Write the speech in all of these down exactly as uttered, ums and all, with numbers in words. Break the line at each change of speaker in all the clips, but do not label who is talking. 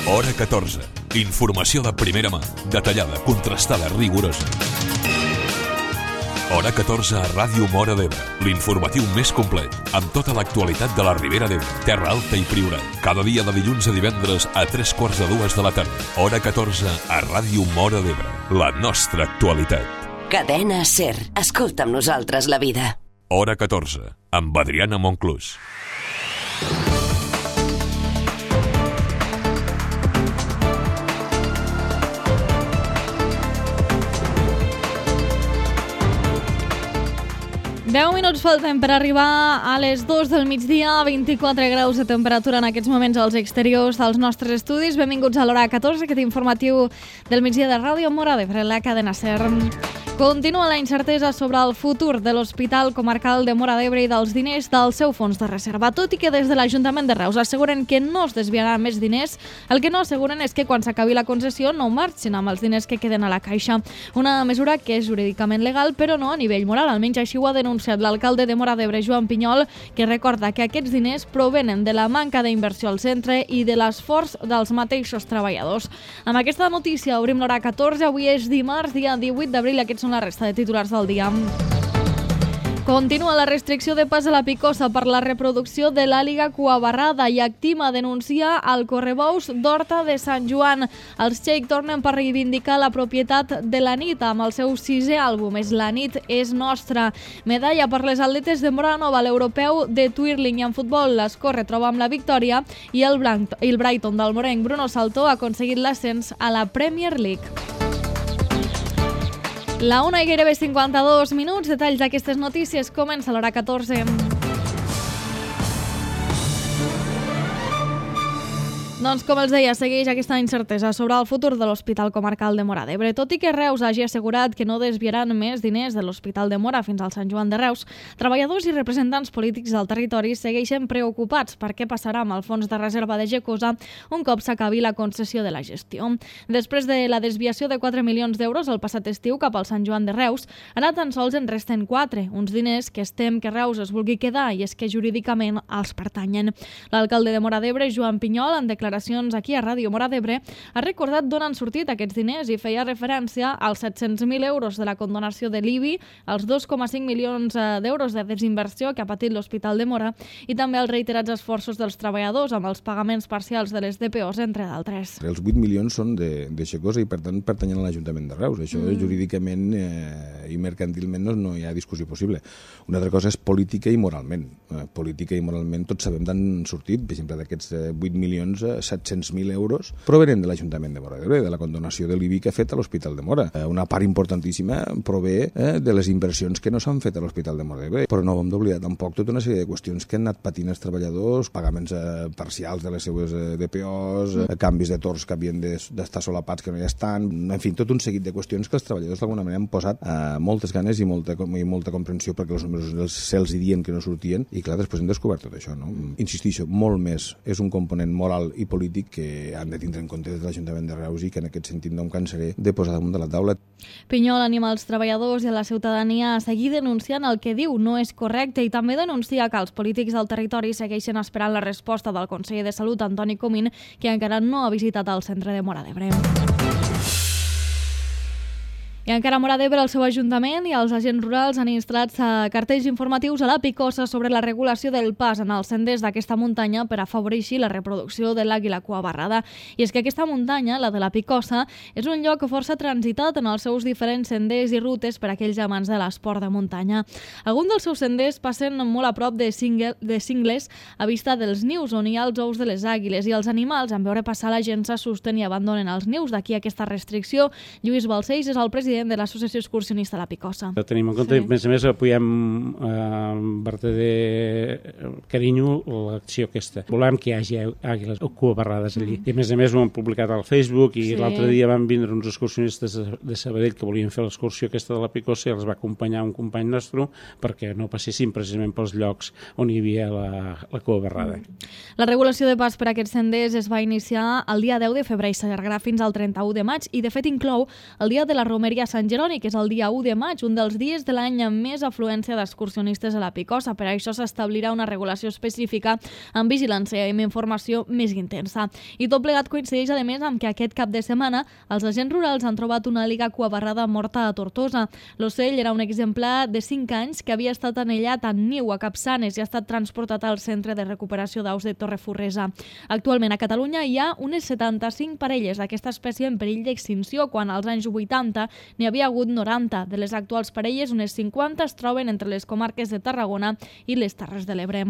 Hora catorze. Informació de primera mà, detallada, contrastada, rigorosa. Hora catorze a Ràdio Móra d'Ebre, l'informatiu més complet, amb tota l'actualitat de la Ribera d'Ebre, Terra Alta i Priorat. Cada dia de dilluns a divendres a tres quarts de dues de la tarda. Hora catorze a Ràdio Móra d'Ebre, la nostra actualitat.
Cadena SER. Escolta amb nosaltres la vida.
Hora catorze, amb Adriana Monclús.
deu minuts falten per arribar a les dues del migdia, vint-i-quatre graus de temperatura en aquests moments als exteriors dels nostres estudis. Benvinguts a l'Hora catorze, aquest informatiu del migdia de Ràdio Móra d'Ebre, la cadena SER. Continua la incertesa sobre el futur de l'Hospital Comarcal de Móra d'Ebre i dels diners del seu fons de reserva. Tot i que des de l'Ajuntament de Reus asseguren que no es desviaran més diners, el que no asseguren és que quan s'acabi la concessió no marxin amb els diners que queden a la caixa. Una mesura que és jurídicament legal, però no a nivell moral. Almenys així ho ha denunciat l'alcalde de Móra d'Ebre, Joan Pinyol, que recorda que aquests diners provenen de la manca d'inversió al centre i de l'esforç dels mateixos treballadors. Amb aquesta notícia obrim l'Hora catorze. Avui és dimarts, dia divuit d'abril. Aquests són la resta de titulars del dia. Continua la restricció de pas a la Picosa per la reproducció de l'àliga cuabarrada i Actima denuncia el correbous d'Horta de Sant Joan. Els Xeic tornen per reivindicar la propietat de la nit amb el seu sisè àlbum, És la nit és nostra. Medalla per les atletes de Móra Nova, l'europeu de twirling, i en futbol l'Escorre troba amb la victòria i el, Blanc, el Brighton del morenc Bruno Saltó ha aconseguit l'ascens a la Premier League. La una i gairebé cinquanta-dos minuts. Detalls d'aquestes notícies. Comença l'Hora catorze. Doncs, com els deia, segueix aquesta incertesa sobre el futur de l'Hospital Comarcal de Móra d'Ebre. Tot i que Reus hagi assegurat que no desviaran més diners de l'Hospital de Móra fins al Sant Joan de Reus, treballadors i representants polítics del territori segueixen preocupats per què passarà amb el fons de reserva de Gecosa un cop s'acabi la concessió de la gestió. Després de la desviació de quatre milions d'euros el passat estiu cap al Sant Joan de Reus, ara tan sols en resten quatre, uns diners que es tem que Reus es vulgui quedar i és que jurídicament els pertanyen. L'alcalde de Móra d'Ebre, Joan Pinyol, en declaracions aquí a Ràdio Móra d'Ebre, ha recordat d'on han sortit aquests diners i feia referència als set-cents mil euros de la condonació de l'I B I, als dos coma cinc milions d'euros de desinversió que ha patit l'Hospital de Móra i també els reiterats esforços dels treballadors amb els pagaments parcials de les D P Os, entre d'altres.
Els vuit milions són de, de Gecosa i per tant pertanyen a l'Ajuntament de Reus. Això mm. jurídicament eh, i mercantilment no, no hi ha discussió possible. Una altra cosa és política i moralment. Eh, política i moralment tots sabem d'on han sortit, per exemple, d'aquests eh, vuit milions, eh, set-cents mil euros provenen de l'Ajuntament de Móra d'Ebre, de la condonació de l'I B I que ha fet a l'Hospital de Móra. Una part importantíssima prové eh, de les inversions que no s'han fet a l'Hospital de Móra d'Ebre. Però no hem d'oblidar tampoc tota una sèrie de qüestions que han anat patint els treballadors, pagaments eh, parcials de les seues eh, D P Os, eh, canvis de torns que havien d'estar solapats que no hi estan, en fi, tot un seguit de qüestions que els treballadors d'alguna manera han posat eh, moltes ganes i molta, i molta comprensió perquè els números se'ls dien que no sortien i clar, després hem descobert tot això, no? Insistixo, molt més és un component moral i polític que han de tindre en compte des de l'Ajuntament de Reus i que en aquest sentit no em cansaré de posar damunt de la taula.
Pinyol anima els treballadors i a la ciutadania a seguir denunciant el que diu no és correcte i també denuncia que els polítics del territori segueixen esperant la resposta del conseller de Salut, Antoni Comín, que encara no ha visitat el centre de Móra d'Ebre. I encara a Móra d'Ebre, el seu ajuntament i els agents rurals han instal·lat cartells informatius a la Picosa sobre la regulació del pas en els senders d'aquesta muntanya per afavorir així la reproducció de l'àguila cuabarrada. I és que aquesta muntanya, la de la Picosa, és un lloc força transitat en els seus diferents senders i rutes per a aquells amants de l'esport de muntanya. Alguns dels seus senders passen molt a prop de, cingle, de cingles a vista dels nius on hi ha els ous de les àguiles i els animals, en veure passar la gent s'assusten i abandonen els nius. D'aquí aquesta restricció. Lluís Balcells és el president de l'Associació Excursionista La Picosa.
Tenim en compte, sí. A més a més, apoyem eh, amb verdader carinyo l'acció aquesta. Volem que hi hagi àguiles o cuabarrades allí. Mm. I a més a més ho hem publicat al Facebook i sí. L'altre dia van vindre uns excursionistes de Sabadell que volien fer l'excursió aquesta de La Picosa i els va acompanyar un company nostre perquè no passessin precisament pels llocs on hi havia la, la cuabarrada.
Mm. La regulació de pas per a aquests senders es va iniciar el dia deu de febrer i s'allargarà fins al trenta-u de maig i de fet inclou el dia de la romeria Sant Jeroni, que és el dia u de maig, un dels dies de l'any amb més afluència d'excursionistes a la Picosa. Per això s'establirà una regulació específica amb vigilància i amb informació més intensa. I tot plegat coincideix, a més, amb que aquest cap de setmana els agents rurals han trobat una àliga cuabarrada morta a Tortosa. L'ocell era un exemplar de cinc anys que havia estat anellat en niu a Capçanes i ha estat transportat al Centre de Recuperació d'Aus de Torreforresa. Actualment a Catalunya hi ha unes setanta-cinc parelles d'aquesta espècie en perill d'extinció, quan als anys vuitanta n'hi havia hagut noranta. De les actuals parelles, unes cinquanta es troben entre les comarques de Tarragona i les Terres de l'Ebre.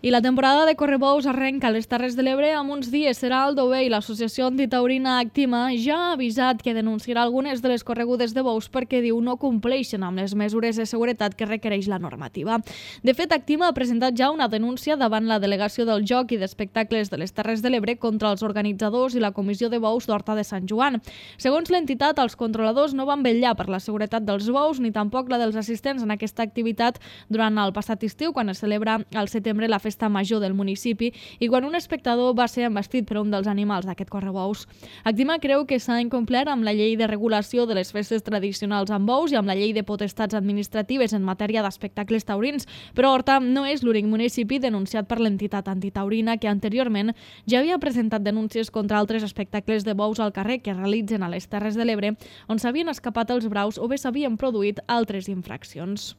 I la temporada de correbous arrenca a les Terres de l'Ebre amb uns dies. Serà Aldover i l'Associació Antitaurina Actima ja ha avisat que denunciarà algunes de les corregudes de bous perquè, diu, no compleixen amb les mesures de seguretat que requereix la normativa. De fet, Actima ha presentat ja una denúncia davant la Delegació del Joc i d'Espectacles de les Terres de l'Ebre contra els organitzadors i la Comissió de Bous d'Horta de Sant Joan. Segons l'entitat, els controladors no van vetllar per la seguretat dels bous ni tampoc la dels assistents en aquesta activitat durant el passat estiu, quan es celebra al setembre la festa major del municipi i quan un espectador va ser embestit per un dels animals d'aquest correbous. Actima creu que s'ha incomplert amb la llei de regulació de les festes tradicionals amb bous i amb la llei de potestats administratives en matèria d'espectacles taurins, però Horta no és l'únic municipi denunciat per l'entitat antitaurina, que anteriorment ja havia presentat denúncies contra altres espectacles de bous al carrer que realitzen a les Terres de l'Ebre, on s'havien escapat els braus o bé s'havien produït altres infraccions.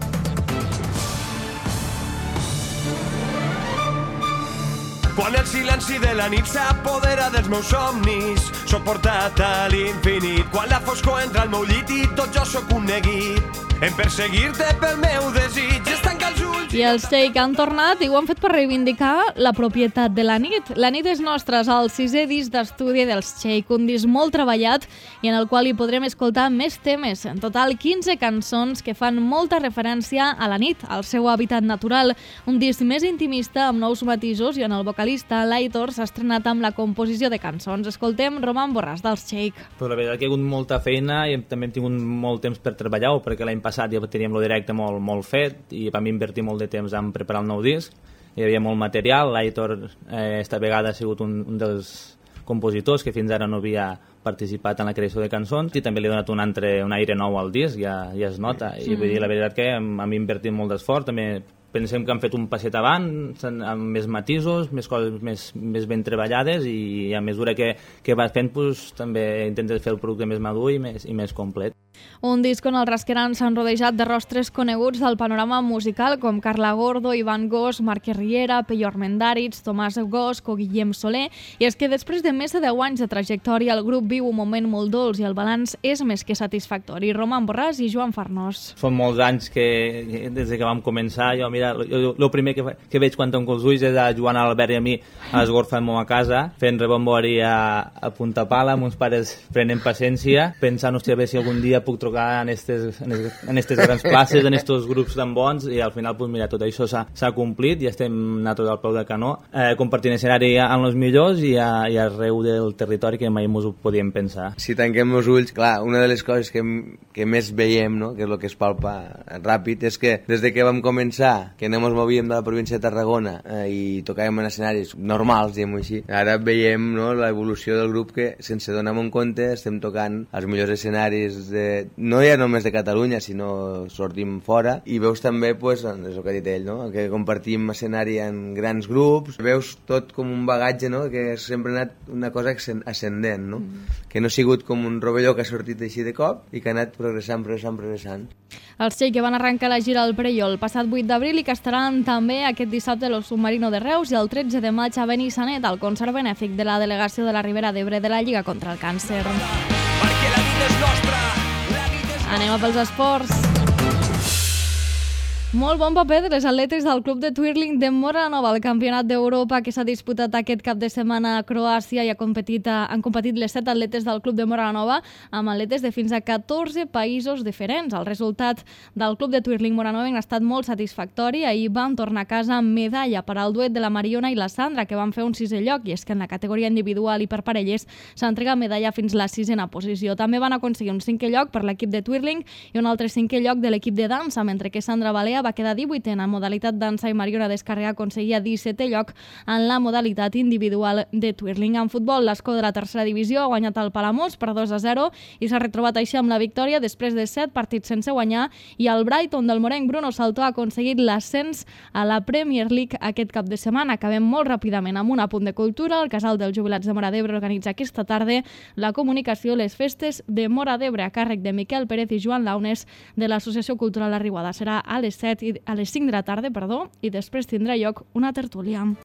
Quan el silenci de la nit s'apodera dels meus somnis, soc portat a l'infinit. Quan la foscor entra al meu llit i tot jo sóc un neguit, en perseguir-te pel meu desig, es tanca els ulls...
I els Shake han tornat i ho han fet per reivindicar la propietat de la nit. La nit és nostra, és el sisè disc d'estudi dels Shake, un disc molt treballat i en el qual hi podrem escoltar més temes. En total, quinze cançons que fan molta referència a la nit, al seu hàbitat natural. Un disc més intimista, amb nous matisos, i en el vocalista l'Aitor s'ha estrenat amb la composició de cançons. Escoltem Roman Borràs dels Shake.
Però la veritat que hi ha hagut molta feina i també hem tingut molt temps per treballar-ho, perquè l'any passat ja teníem lo directe molt, molt fet i vam invertir molt de temps en preparar el nou disc. Hi havia molt material. L'Aitor eh, esta vegada ha sigut un, un dels compositors que fins ara no havia participat en la creació de cançons i també li ha donat un, altre, un aire nou al disc, ja, ja es nota. I vull dir, la veritat que hem, hem invertit molt d'esforç, també pensem que han fet un passet avant, amb més matisos, més coses més, més ben treballades, i a mesura que, que vas fent, pues, també intentes fer el producte més madur i més, i més complet.
Un disc on els rasquerans s'han rodejat de rostres coneguts del panorama musical, com Carla Gordo, Ivan Gos, Marc Riera, Peyo Armendáriz, Tomàs Gos o Guillem Soler. I és que després de més de deu anys de trajectòria, el grup viu un moment molt dolç i el balanç és més que satisfactori. Roman Borràs i Joan Farnós.
Són molts anys que, des que vam començar, jo, mira, el primer que, que veig quan tanco els ulls és a Joan Albert i a mi a l'esgorfa a casa, fent rebombori a, a Punta Pala, amb uns pares prenent paciència, pensant, hòstia, a veure si algun dia puc trucar en aquestes en estes grans places, en aquests grups tan bons, i al final, pues, mira, tot això s'ha complit i estem nosaltres al peu del canó, eh, compartint escenari amb els millors i, a, i arreu del territori que mai ens ho podíem pensar.
Si tanquem els ulls, clar, una de les coses que, que més veiem, no?, que és el que es palpa ràpid, és que des de que vam començar, que no ens movíem de la província de Tarragona eh, i tocàvem en escenaris normals, diguem-ho així, ara veiem, no, l'evolució del grup, que sense donar-me en compte estem tocant els millors escenaris de, no ja només de Catalunya, sinó sortim fora, i veus també, pues, és el que ha dit ell, no?, que compartim escenari en grans grups, veus tot com un bagatge, no?, que sempre ha anat una cosa ascendent, no?, mm. que no ha sigut com un rovelló que ha sortit així de cop i que ha anat progressant, progressant, progressant.
Els Shake, que van arrencar la gira al Prelló el passat vuit d'abril i que estaran també aquest dissabte a l'Os Submarino de Reus i el tretze de maig a Benissanet, al concert benèfic de la delegació de la Ribera d'Ebre de la Lliga contra el Càncer.
Perquè la vida és nostra, la vida és...
Anem a pels esports. Molt bon paper de les atletes del club de twirling de Móra Nova al Campionat d'Europa que s'ha disputat aquest cap de setmana a Croàcia, i ha competit, han competit les set atletes del club de Móra Nova amb atletes de fins a catorze països diferents. El resultat del club de twirling Móra Nova ha estat molt satisfactori. Ahir van tornar a casa amb medalla per al duet de la Mariona i la Sandra, que van fer un sisè lloc, i és que en la categoria individual i per parelles s'entrega medalla fins la sisena posició. També van aconseguir un cinquè lloc per l'equip de twirling i un altre cinquè lloc de l'equip de dansa, mentre que Sandra Balea Alea va quedar divuitena en modalitat dansa i Mariona Descarrega aconseguia dissetè lloc en la modalitat individual de twirling. En futbol, l'Escó de la tercera divisió ha guanyat el Palamós per dos a zero i s'ha retrobat així amb la victòria després de set partits sense guanyar, i el Brighton del morenc Bruno Saltó ha aconseguit l'ascens a la Premier League aquest cap de setmana. Acabem molt ràpidament amb un apunt de cultura. El Casal dels Jubilats de Móra d'Ebre organitza aquesta tarda la comunicació Les Festes de Móra d'Ebre a càrrec de Miquel Pérez i Joan Launes de l'Associació Cultural La Riuada. Serà a les set i a les cinc de la tarda, perdó, i després tindrà lloc una tertúlia.